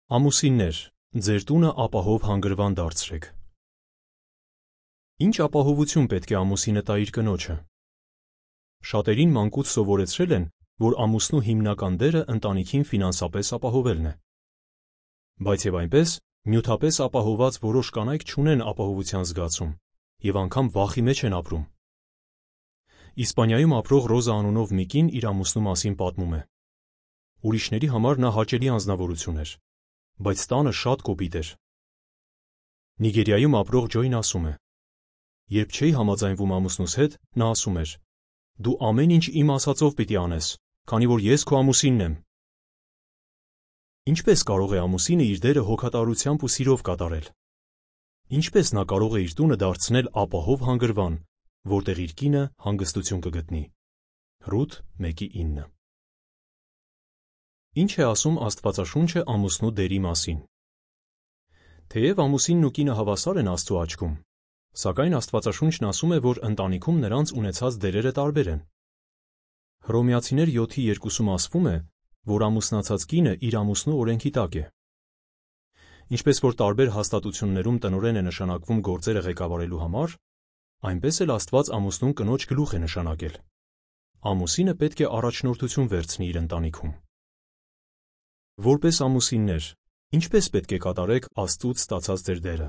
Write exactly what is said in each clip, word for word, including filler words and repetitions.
Ամուսիններ, ձեր տունը ապահով հանգրվան դարձրեք։ Ինչ ապահովություն պետք է ամուսինը տա իր կնոջը։ Շատերին մանկուց սովորեցրել են, որ ամուսնու հիմնական դերը ընտանիքին ֆինանսապես ապահովելն է։ Բայց եւ այնպես, նյութապես ապահոված որոշ կանայք չունեն ապահովության զգացում եւ անգամ վախի մեջ են ապրում։ Իսպանիայում ապրող Ռոզա անունով մի կին իր ամուսնու մասին պատմում է։ Ուրիշների համար նա հաճելի անձնավորություն էր, բայց տանը շատ կոպիտ էր։ Նիգերիայում ապրող Ջոյն ասում է. երբ չէի համաձայնվում ամուսնուս հետ, նա ասում էր. դու ամեն ինչ իմ ասածով պիտի անես, քանի որ ես քո ամուսինն եմ։ Ինչպես կարող է ամուսինը իր դերը հոգատարությամբ ու սիրով կատարել։ Ինչպես նա կարող է իր տունը դարձնել ապահով հանգրվան, որտեղ իր կինը հանգստություն կգտնի։ Ռութ մեկի ինը։ Ինչ է ասում Աստվածաշունչը ամուսնու դերի մասին։ Թեև ամուսինն ու կինը հավասար են Աստծու աչքում, սակայն Աստվածաշունչն ասում է, որ ընտանիքում նրանց ունեցած դերերը տարբեր են։ Հռոմեացիներ յոթի երկուսում ասվում է, որ ամուսնացած կինը իր ամուսնու օրենքի տակ է։ Ինչպես որ տարբեր հաստատություններում տնօրեն է նշանակվում գործերը ղեկավարելու համար, այնպես էլ Աստված ամուսնուն կնոջ գլուխ է նշանակել։ Ամուսինը պետք է առաջնորդություն վերցնի իր ընտանիքում։ Որպես ամուսիններ, ինչպես պետք է կատարեք Աստծուց ստացած ձեր դերը։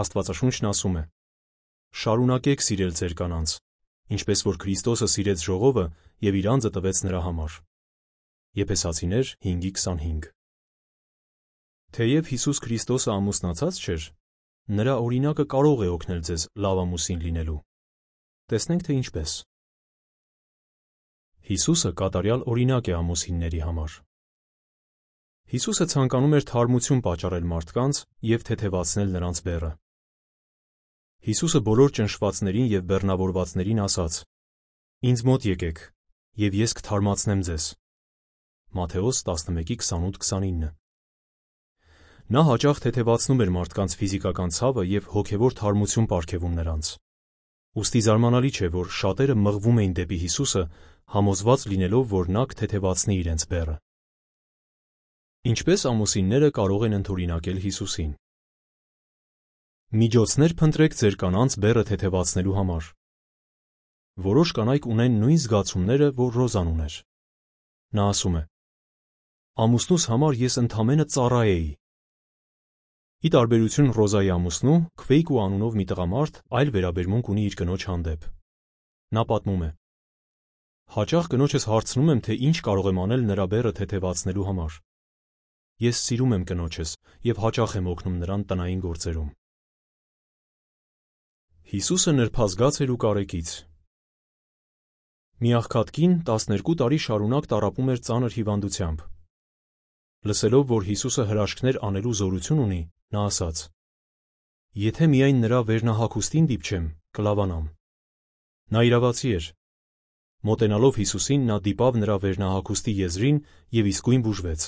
Աստվածաշունչն ասում է. շարունակեք սիրել ձեր կանանց, ինչպես որ Քրիստոսը սիրեց ժողովը և իր անձը տվեց նրա համար։ Եփեսացիներ հինգի քսանհինգ։ Թեև Հիսուս Քրիստոսը ամուսնացած չէր, նրա օրինակը կարող է օգնել ձեզ լավ ամուսին լինելու։ Տեսնենք, թե ինչպես։ Հիսուսը կատարյալ օրինակ է ամուսինների համար։ Հիսուսը ցանկանում էր թարմություն պատճառել մարդկանց և թեթևացնել նրանց բեռը։ Հիսուսը բոլոր ճնշվածներին և բեռնավորվածներին ասաց. «Ինձ մոտ եկեք, և ես կթարմացնեմ ձեզ» Մատթեոս տասնմեկի քսանութ քսանինը։ Նա հաճախ թեթևացնում էր մարդկանց ֆիզիկական ցավը և հոգևոր թարմություն պարգևում նրանց։ Ուստի զարմանալի չէ, որ շատերը մղվում էին դեպի Հիսուսը, համոզված լինելով, որ նա կթեթևացնի իրենց բեռը։ Ինչպես ամուսինները կարող են ընդօրինակել Հիսուսին։ Միջոցներ փնտրեք ձեր կանանց բեռը թեթևացնելու համար։ Որոշ կանայք ունեն նույն զգացումները, որ Ռոզան ուներ։ Նա ասում է. ամուսնուս համար ես ընդամենը ծառա էի։ Ի տարբերություն Ռոզայի ամուսնու, Քվեյկու անունով մի տղամարդ այլ վերաբերմունք ունի իր կնոջ հանդեպ։ Նա պատմում է. հաճախ կնոջս հարցնում եմ, թե ինչ կարող եմ անել նրա բեռը թեթևացնելու համար։ Ես սիրում եմ կնոջս և հաճախ եմ օգնում նրան տնային գործերում։ Հիսուսը նրբազգաց էր ու կարեկից։ Մի աղքատ կին տասներկու տարի շարունակ տառապում էր ծանր հիվանդությամբ։ Լսելով, որ Հիսուսը հրաշքներ անելու զորություն ունի, նա ասաց. «Եթե միայն նրա վերնահագուստին դիպչեմ, կլավանամ»։ Նա իրավացի էր։ Մոտենալով Հիսուսին, նա դիպավ նրա վերնահագուստի եզրին և իսկույն բուժվեց։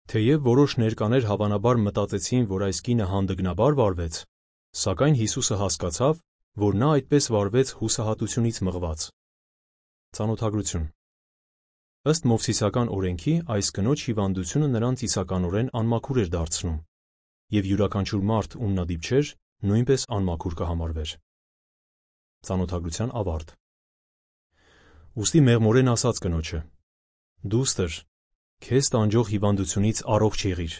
Թեև որոշ ներկաներ հավանաբար մտածեցին, որ այս կինը հանդգնաբար վարվեց, սակայն Հիսուսը հասկացավ, որ նա այդպես վարվեց հուսահատությունից մղված։ Ծանոթագրություն։ Ըստ Մովսիսական օրենքի, այս կնոջ հիվանդությունը նրան ծիսականորեն անմաքուր էր դարձնում, և յուրաքանչյուր մարդ, ում նա դիպչեր, նույնպես անմաքուր կհամարվեր։ Ծանոթագրության ավարտ։ Ուստի մեղմորեն ասաց կնոջը. «Դուստր, քեզ տանջող հիվանդությունից առողջ եղիր»։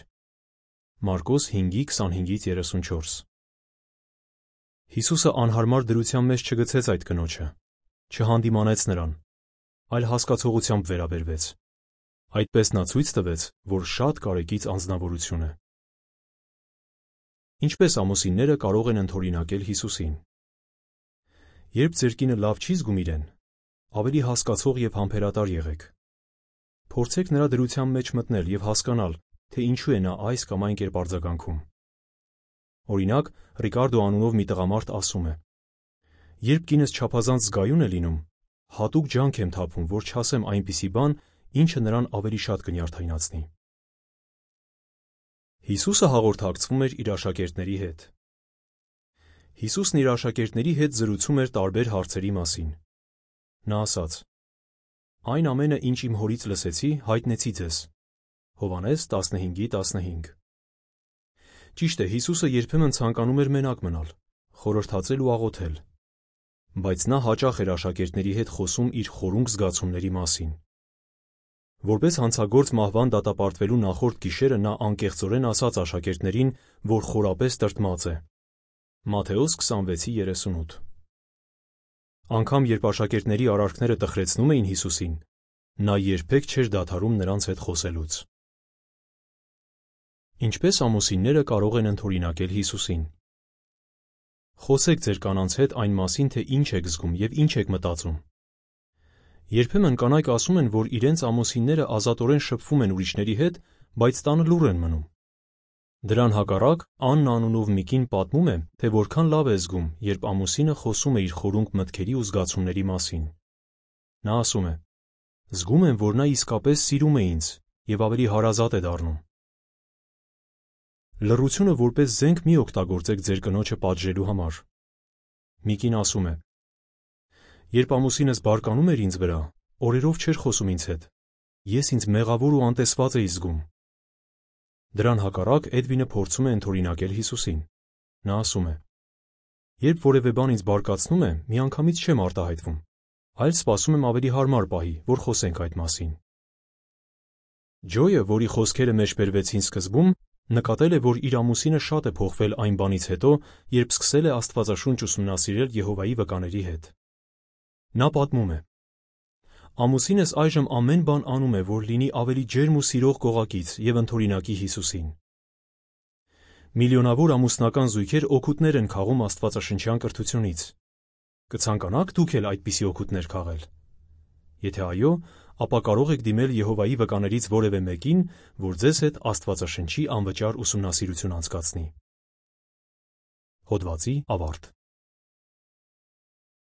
Մարկոս հինգի քսանհինգից երեսունչորս։ Հիսուսը անհարմար դրության մեջ չգցեց այդ կնոջը, չհանդիմանեց նրան, այլ հասկացողությամբ վերաբերվեց։ Այդպես նա ցույց տվեց, որ շատ կարեկից անձնավորություն է։ Ինչպես ամուսինները կարող են ընդօրինակել Հիսուսին։ Երբ ձեր կինը լավ չի զգում իրեն, ավելի հասկացող և համբերատար եղեք։ Փորձեք նրա դրության մեջ մտնել և հասկանալ, թե ինչու է նա այս կամ այն կերպ արձագանքում։ Օրինակ, Ռիկարդո անունով մի տղամարդ ասում է. «Երբ կինս չափազանց զգայուն է լինում, հատուկ ջանք եմ թափում, որ չասեմ այնպիսի բան, ինչը նրան ավելի շատ կնյարդայնացնի»։ Հիսուսը հաղորդակցվում էր իր աշակերտների հետ։ Հիսուսն իր աշակերտների հետ զրուցում էր տարբեր հարցերի մասին։ Նա ասաց. «Այն ամենը, ինչ իմ Հորից լսեցի, հայտնեցի ձեզ»։ Հովհաննես տասնհինգի տասնհինգ։ Ճիշտ է, Հիսուսը երբեմն ցանկանում էր մենակ մնալ, խորհրդածել ու աղոթել, բայց նա հաճախ էր աշակերտների հետ խոսում իր խորունկ զգացումների մասին։ Որպես հանցագործ մահվան դատապարտվելու նախորդ գիշերը նա անկեղծորեն ասաց աշակերտներին, որ խորապես տրտմած է։ Մատթեոս քսանվեցի երեսունութ։ Անգամ երբ աշակերտների արարքները տխրեցնում էին Հիսուսին, նա երբեք չէր դադարում նրանց հետ խոսելուց։ Ինչպես ամուսինները կարող են ընդօրինակել Հիսուսին։ Խոսեք ձեր կանանց հետ այն մասին, թե ինչ եք զգում և ինչ եք մտածում։ Երբեմն կանայք ասում են, որ իրենց ամուսինները ազատորեն շփվում են ուրիշների հետ, բայց տանը լուռ են մնում։ Դրան հակառակ Աննա անունով մի կին պատմում է, թե որքան լավ է զգում, երբ ամուսինը խոսում է իր խորունկ մտքերի ու զգացումների մասին։ Նա ասում է. «Զգում եմ, որ նա իսկապես սիրում է ինձ և ավելի հարազատ է դառնում»։ Լռությունը որպես զենք մի օգտագործեք ձեր կնոջը պատժելու համար։ Մի կին ասում է. «Երբ ամուսինս բարկանում էր ինձ վրա, օրերով չէր խոսում ինձ հետ։ Ես ինձ մեղավոր ու անտեսված էի զգում»։ Դրան հակառակ Էդվինը փորձում է ընդօրինակել Հիսուսին։ Նա ասում է. «Երբ որևէ բան ինձ բարկացնում է, միանգամից չեմ արտահայտվում, այլ սպասում եմ ավելի հարմար պահի, որ խոսենք այդ մասին»։ Ջոյը, որի խոսքերը մեջբերվեցին սկզբում, նկատել է, որ իր ամուսինը շատ է փոխվել այն բանից հետո, երբ սկսել է Աստվածաշունչ ուսումնասիրել Եհովայի վկաների հետ։ Նա պատմում է. «Ամուսինս այժմ ամեն բան անում է, որ լինի ավելի ջերմ ու սիրող կողակից և ընդօրինակի Հիսուսին»։ Միլիոնավոր ամուսնական զույգեր օգուտներ են քաղում աստվածաշնչյան կրթությունից։ Կցանկանա՞ք դուք էլ այդպիսի օգուտներ քաղել։ Եթե այո, ապա կարող եք դիմել Եհովայի վկաներից որևէ մեկին, որ ձեզ հետ Աստվածաշնչի անվճար ուսումնասիրություն անցկացնի։ Հոդվացի ավարտ։